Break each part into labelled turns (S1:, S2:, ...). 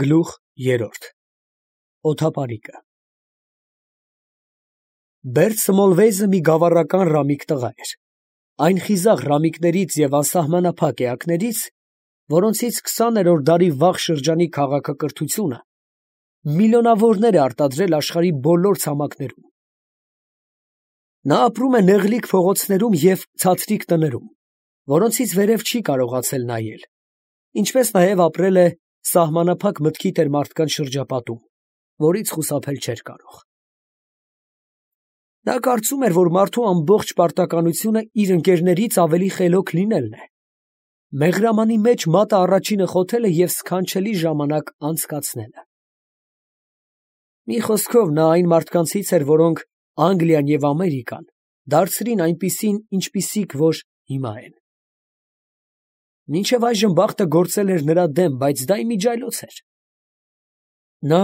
S1: Գլուխ 3 Օդապարիկը Բերդ Սմոլվեյզը մի գավառական ռամիկ տղա էր, այն խիզախ ռամիկներից և անսահմանափակ էակներից, որոնցից 20-րդ դարի վաղ շրջանի քաղաքակրթությունը միլիոնավորներ է արտադրել աշխարհի բոլոր ցամաքներում։ Նա ապրում է նեղլիկ փողոցներում և ցածրիկ տներում, որոնցից վերև չի կարողացել նայել, ինչպես նաև ապրել է սահմանափակ մտքի տեր մարդկանց շրջապատում, որից խուսափել չէր կարող։ Նա կարծում էր, որ մարդու ամբողջ պարտականությունը իր ընկերներից ավելի խելոք լինելն է, մեղրամանի մեջ մատը առաջինը խոթելը և սքանչելի ժամանակ անցկացնելը։ Մի խոսքով, նա այն մարդկանցից էր, որոնք Անգլիան և Ամերիկան դարձրին այնպիսին, ինչպիսիք որ հիմա են։ Մինչև այժմ բախտը գործել էր նրա դեմ, բայց դա իմիջիայլոց էր։ Նա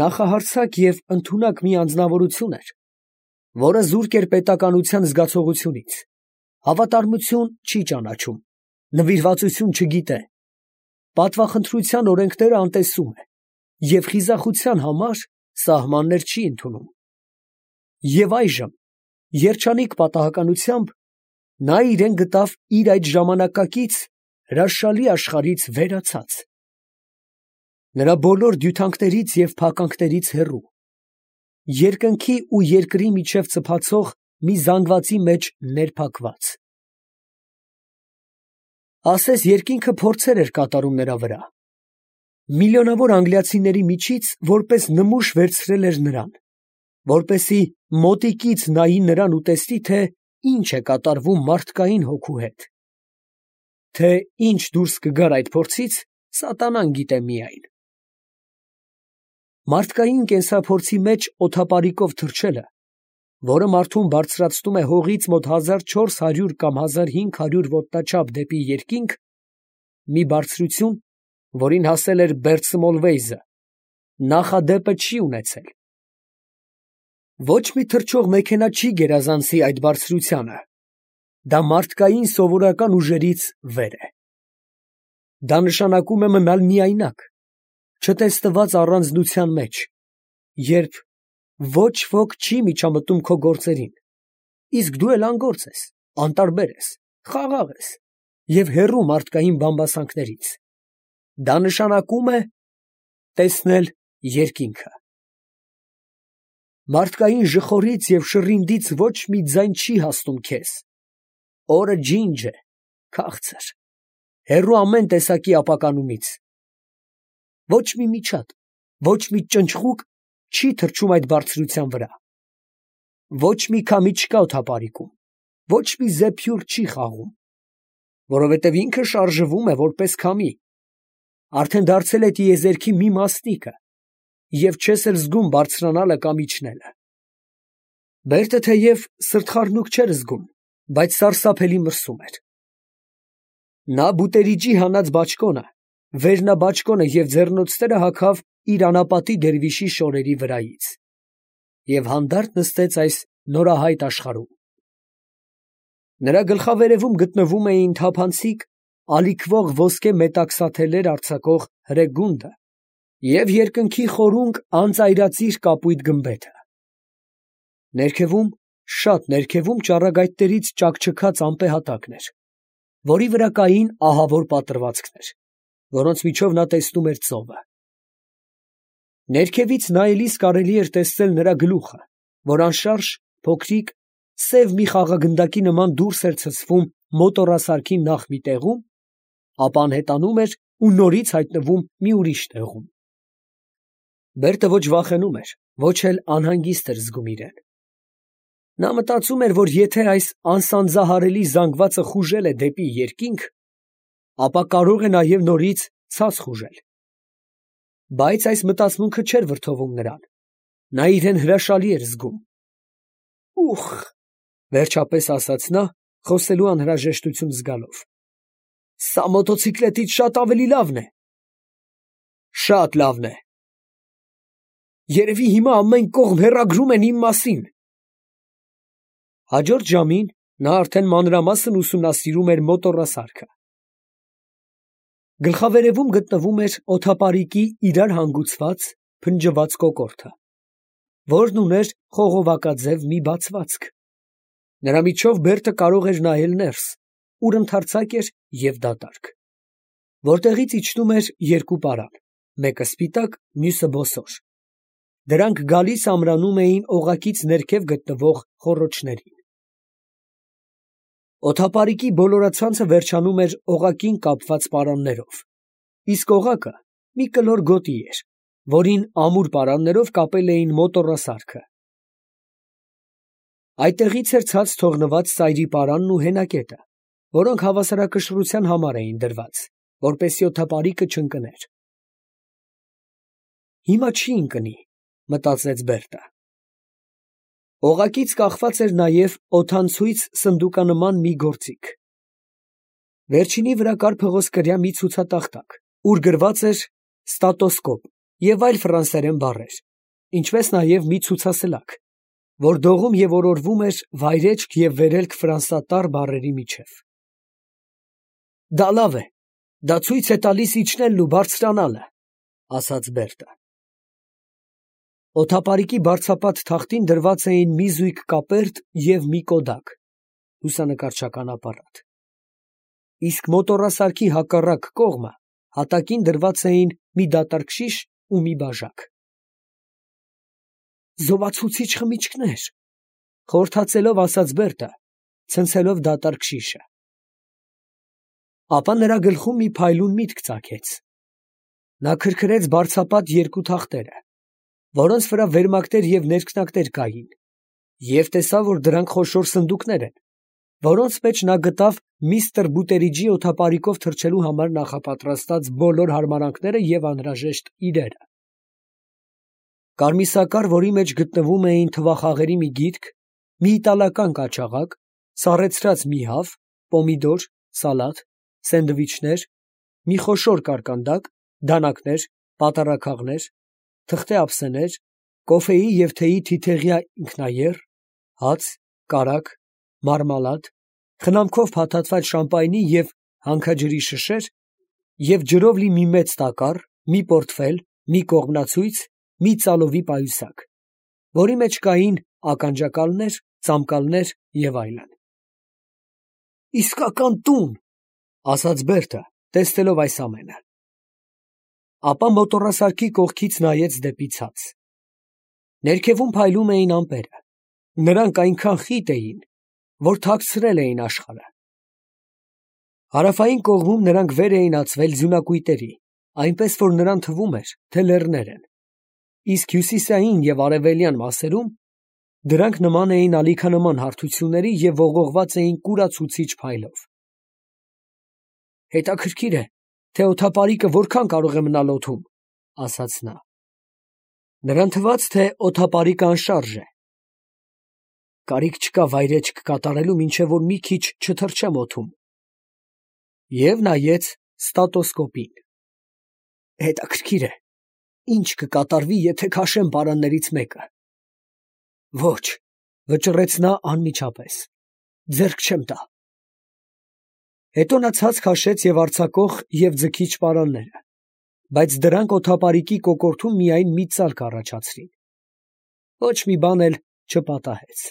S1: նախահարձակ և ընդունակ մի անձնավորություն էր, որը զուրկ էր պետականության զգացողությունից, հավատարմություն չի ճանաչում, նվիրվածություն չգիտե, պատվախնդրության օրենքները անտեսում է և խիզախության համար սահմաններ չի ընդունում։ Եվ այժմ, երջանիկ պատահականությամբ, նա իրեն գտավ իր այդ ժամանակակից հրաշալի աշխարհից վերացած, նրա բոլոր դյութանքներից և փականքներից հեռու, երկնքի ու երկրի միջև ծփացող մի զանգվածի մեջ ներփակված։ Ասես երկինքը փորձեր էր կատարում նրա վրա, միլիոնավոր անգլիացիների միջից որպես նմուշ վերցրել էր նրան, որպեսզի մոտիկից նայի նրան ու տեսնի, թե ինչ է կատարվում մարդկային հոգու հետ, թե ինչ դուրս կգար այդ փորձից, սատանան գիտե միայն։ Մարդկային կենսափորձի մեջ օդապարիկով թռչելը, որը մարդուն բարձրացնում է հողից մոտ 1400 կամ 1500 ոտնաչափ դեպի երկինք, մի բարձրություն, որին հասել էր Բերդ Սմոլվեյզը, նախադեպը չի ունեցել։ Ոչ մի թռչող մեքենա չի գերազանցի այդ բարձրությանը, դա մարդկային սովորական ուժերից վեր է։ Դա նշանակում է մնալ միայնակ, չտեսնված առանձնության մեջ, երբ ոչ ոք չի միջամտում քո գործերին, իսկ դու էլ անգործ ես, անտարբեր ես, խաղաղ ես և հեռու մարդկային բամբասանքներից։ Դա նշանակում է տեսնել երկինքը։ Մարդկային ժխորից և շռինդից ոչ մի ձայն չի հասնում քեզ։ Օրը ջինջ է, քաղցր, հեռու ամեն տեսակի ապականումից։ Ոչ մի միջատ, ոչ մի ճնճղուկ չի թռչում այդ բարձրության վրա։ Ոչ մի քամի չկա օդապարիկում, ոչ մի զեփյուռ չի խաղում, որովհետև ինքը շարժվում է որպես քամի, արդեն դարձել է տիեզերքի մի մասնիկը և չես էլ զգում բարձրանալը կամ իջնելը։ Բերդը թեև սրտխառնուկ չէր զգում, բայց սարսափելի մրսում էր։ Նա բուտերիջի հանած բաճկոնը, վերնաբաճկոնը և ձեռնոցները հագավ իր անապատի դերվիշի շորերի վրայից և հանդարտ նստեց այս նորահայտ աշխարհում։ Նրա գլխավերևում գտնվում էին թափանցիկ, ալիքվող ոսկե մետաքսաթելեր արձակող հրե գունդը և երկնքի խորունկ անծայրածիր կապույտ գմբեթը։ Ներքևում, շատ ներքևում ճառագայթներից ճաքճքած ամպեհատակն էր, որի վրա կային ահավոր պատրվացքներ, որոնց միջով նա տեսնում էր ծովը։ Ներքևից նայելիս կարելի էր տեսնել նրա գլուխը, որ անշարժ, փոքրիկ, սև մի խաղագնդակի նման դուրս էր ցցվում մոտոռասարքի նախ մի տեղում, ապա անհետանում էր ու նորից հայտնվում մի ուրիշ տեղում։ Բերդը ոչ վախենում էր, ոչ էլ անհանգիստ էր զգում իրեն։ Նա մտածում էր, որ եթե այս անսանձահարելի զանգվածը խուժել է դեպի երկինք, ապա կարող է նաև նորից ցած խուժել։ Բայց այս մտածմունքը չէր վրդովում նրան, նա իրեն հրաշալի էր զգում։ «Ուխ», վերջապես ասաց նա, խոսելու անհրաժեշտություն զգալով, «սա մոտոցիկլետից շատ ավելի լավն է»։ «Շատ լավն է»։ «Երևի հիմա ամեն կողմ հեռագրում են իմ մասին»։ Հաջորդ ժամին նա արդեն մանրամասն ուսումնասիրում էր մոտոռասարքը։ Գլխավերևում գտնվում էր օդապարիկի իրար հանգուցված, փնջված կոկորդը, որն ուներ խողովակաձև մի բացվածք. նրա միջով Բերտը կարող էր նայել ներս, ուր ընդարձակ էր և դատարկ, որտեղից իջնում էր երկու պարան, մեկը սպիտակ, մյուսը բոսոր. դրանք գալիս ամրանում էին օղակից ներքև գտնվող խոռոչներին։ Օդապարիկի բոլորացանցը վերջանում էր օղակին կապված պարաններով, իսկ օղակը մի կլոր գոտի էր, որին ամուր պարաններով կապել էին մոտոռասարքը։ Այդտեղից էր ցած թողնված սայրի պարանն ու հենակետը, որոնք հավասարակշռության համար էին դրված, որպեսզի օդապարիկը չընկներ։ Հիմա չի ընկնի, մտածեց Բերտը։ Օղակից կախված էր նաև օդանցույց սնդուկանման մի գործիք։ Վերջինի վրա կար փղոսկրյա մի ցուցատախտակ, ուր գրված էր «ստատոսկոպ» և այլ ֆրանսերեն բառեր, ինչպես նաև մի ցուցասլաք, որ դողում և օրորվում էր վայրէջք և վերելք ֆրանսատառ բառերի միջև։ «Դա լավ է, դա ցույց է տալիս իջնելն ու բարձրանալը», ասաց Բերտը։ Օդապարիկի բարձրապատ թախտին դրված էին մի զույգ կապերտ և մի կոդակ (լուսանկարչական ապարատ), իսկ մոտոռասարքի հակառակ կողմը հատակին դրված էին մի դատարկ շիշ ու մի բաժակ։ «Զովացուցիչ խմիչքներ», խորհրդածելով ասաց Բերտը, ցնցելով դատարկ շիշը։ Ապա նրա գլխում մի փայլուն միտք ծագեց։ Նա քրքրեց բարձրապատ երկու թախտերը, որոնց վրա վերմակներ և ներքնակներ կային, և տեսավ, որ դրանք խոշոր սնդուկներ են, որոնց մեջ նա գտավ միստր Բուտերիջի օդապարիկով թռչելու համար նախապատրաստած բոլոր հարմարանքները և անհրաժեշտ իրերը։ Կարմիսակար, որի մեջ գտնվում էին թվախաղերի մի գիրք, մի իտալական կաչաղակ, սառեցրած մի հավ, պոմիդոր, սալատ, սենդվիչներ, մի խոշոր կարկանդակ, դանակներ, պատառաքաղներ, թղթե ափսեներ, կոֆեի և թեյի թիթեղյա ինքնաեռ, հաց, կարագ, մարմալադ, խնամքով փաթաթված շամպայնի և հանքաջրի շշեր և ջրով լի մի մեծ տակառ, մի պորտֆել, մի կողմնացույց, մի ծալովի պայուսակ, որի մեջ կային ականջակալներ, ծամկալներ և այլն։ «Իսկական տուն», ասաց Բերտը, տեսնելով այս ամենը։ Ապա մոտոռասարքի կողքից նայեց դեպի ցած։ Ներքևում փայլում էին ամպերը, նրանք այնքան խիտ էին, որ թաքցրել էին աշխարհը։ Հարավային կողմում նրանք վեր էին ածվել ձյունակույտերի, այնպես որ նրան թվում էր, թե լեռներ են, իսկ հյուսիսային և արևելյան մասերում դրանք նման էին ալիքանման հարթությունների և ողողված էին կուրացուցիչ փայլով։ «Հետաքրքիր է, թե օդապարիկը որքան կարող է մնալ օդում», ասաց նա։ Նրան թվաց, թե օդապարիկը անշարժ է։ «Կարիք չկա վայրէջք կատարելու, մինչև որ մի քիչ չթռչեմ օդում»։ Եվ նայեց ստատոսկոպին։ «Հետաքրքիր է, ինչ կկատարվի, եթե քաշեմ պարաններից մեկը»։ «Ոչ», վճռեց նա անմիջապես, «ձեռք չեմ տա»։ Հետո նա ցած քաշեց և արձակող և ձգիչ պարանները, բայց դրանք օդապարիկի կոկորդում միայն մի ծալ կառաջացրին։ Ոչ մի բան էլ չպատահեց։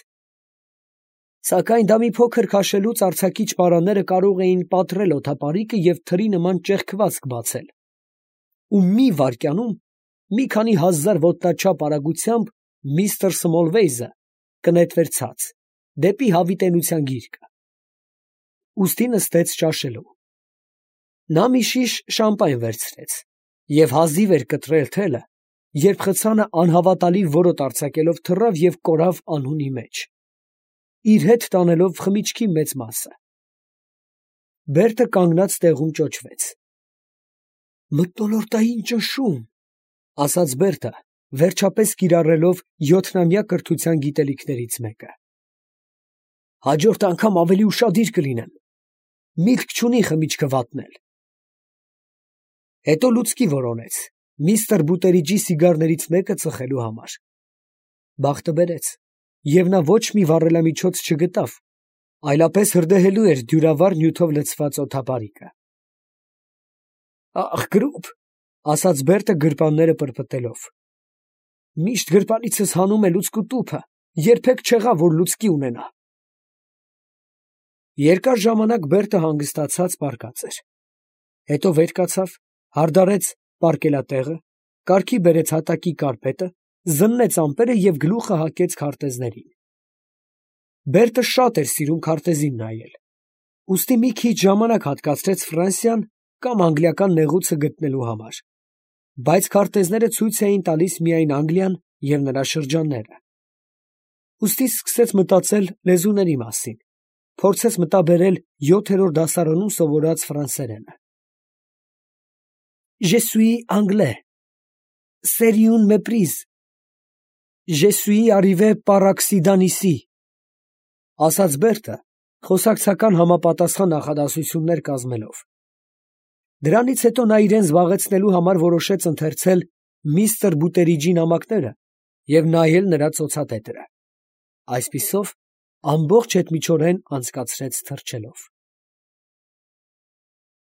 S1: Սակայն դա մի փոքր քաշելուց արձակիչ պարանները կարող էին պատռել օդապարիկը և թրի նման ճեղքվածք բացել, ու մի վայրկյանում մի քանի հազար ոտնաչափ արագությամբ միստր Սմոլվեյզը կնետվեր ցած, դեպի հավիտենության գիրկը։ Ուստի նստեց ճաշելու։ Նա մի շիշ շամպայն վերցրեց և հազիվ էր կտրել թելը, երբ խցանը անհավատալի որոտ արձակելով թռավ և կորավ անհունի մեջ, իր հետ տանելով խմիչքի մեծ մասը։ Բերտը կանգնած տեղում ճոճվեց։ «Մթնոլորտային ճնշում», ասաց Բերտը, վերջապես կիրառելով 7-ամյա կրթության գիտելիքներից մեկը։ «Հաջորդ անգամ ավելի ուշադիր կլինեմ, միտք չունի խմիչքը վատնել»։ Հետո լուցկի որոնեց միստր Բուտերիջի սիգարներից մեկը ծխելու համար։ Բախտը բերեց, և նա ոչ մի վառելամիջոց չգտավ, այլապես հրդեհելու էր դյուրավառ նյութով լցված օդապարիկը։ Ախ, գրուպ, ասաց Բերտը գրպանները պրպտելով։ Միշտ գրպանիցս հանում է լուցկու տուփը, երբեք չեղավ, որ լուցկի ունենա։ Երկար ժամանակ Բերտը հանգստացած պառկած էր։ Հետո վեր կացավ, հարդարեց պառկելատեղը, կարգի բերեց հատակի կարպետը, զննեց ամպերը և գլուխը հագեց քարտեզներին։ Բերտը շատ էր սիրում քարտեզին նայել, ուստի մի քիչ ժամանակ հատկացրեց Ֆրանսիան կամ անգլիական նեղուցը գտնելու համար, բայց քարտեզները ցույց էին տալիս միայն Անգլիան և նրա շրջանները։ Ուստի սկսեց մտածել լեզուների մասին, փորձեց մտաբերել 7-րդ դասարանում սովորած ֆրանսերենը։ Je suis anglais. C'est une méprise. Je suis arrivé par accident ici. Ասաց Բերտը, խոսակցական համապատասխան նախադասություններ կազմելով։ Դրանից հետո նա իրեն զբաղեցնելու համար որոշեց ընթերցել միստր Բուտերիջի նամակները և նայել նրա ծոցատետերը։ Այսպիսով ամբողջ հետմիջօրեն անցկացրեց թռչելով։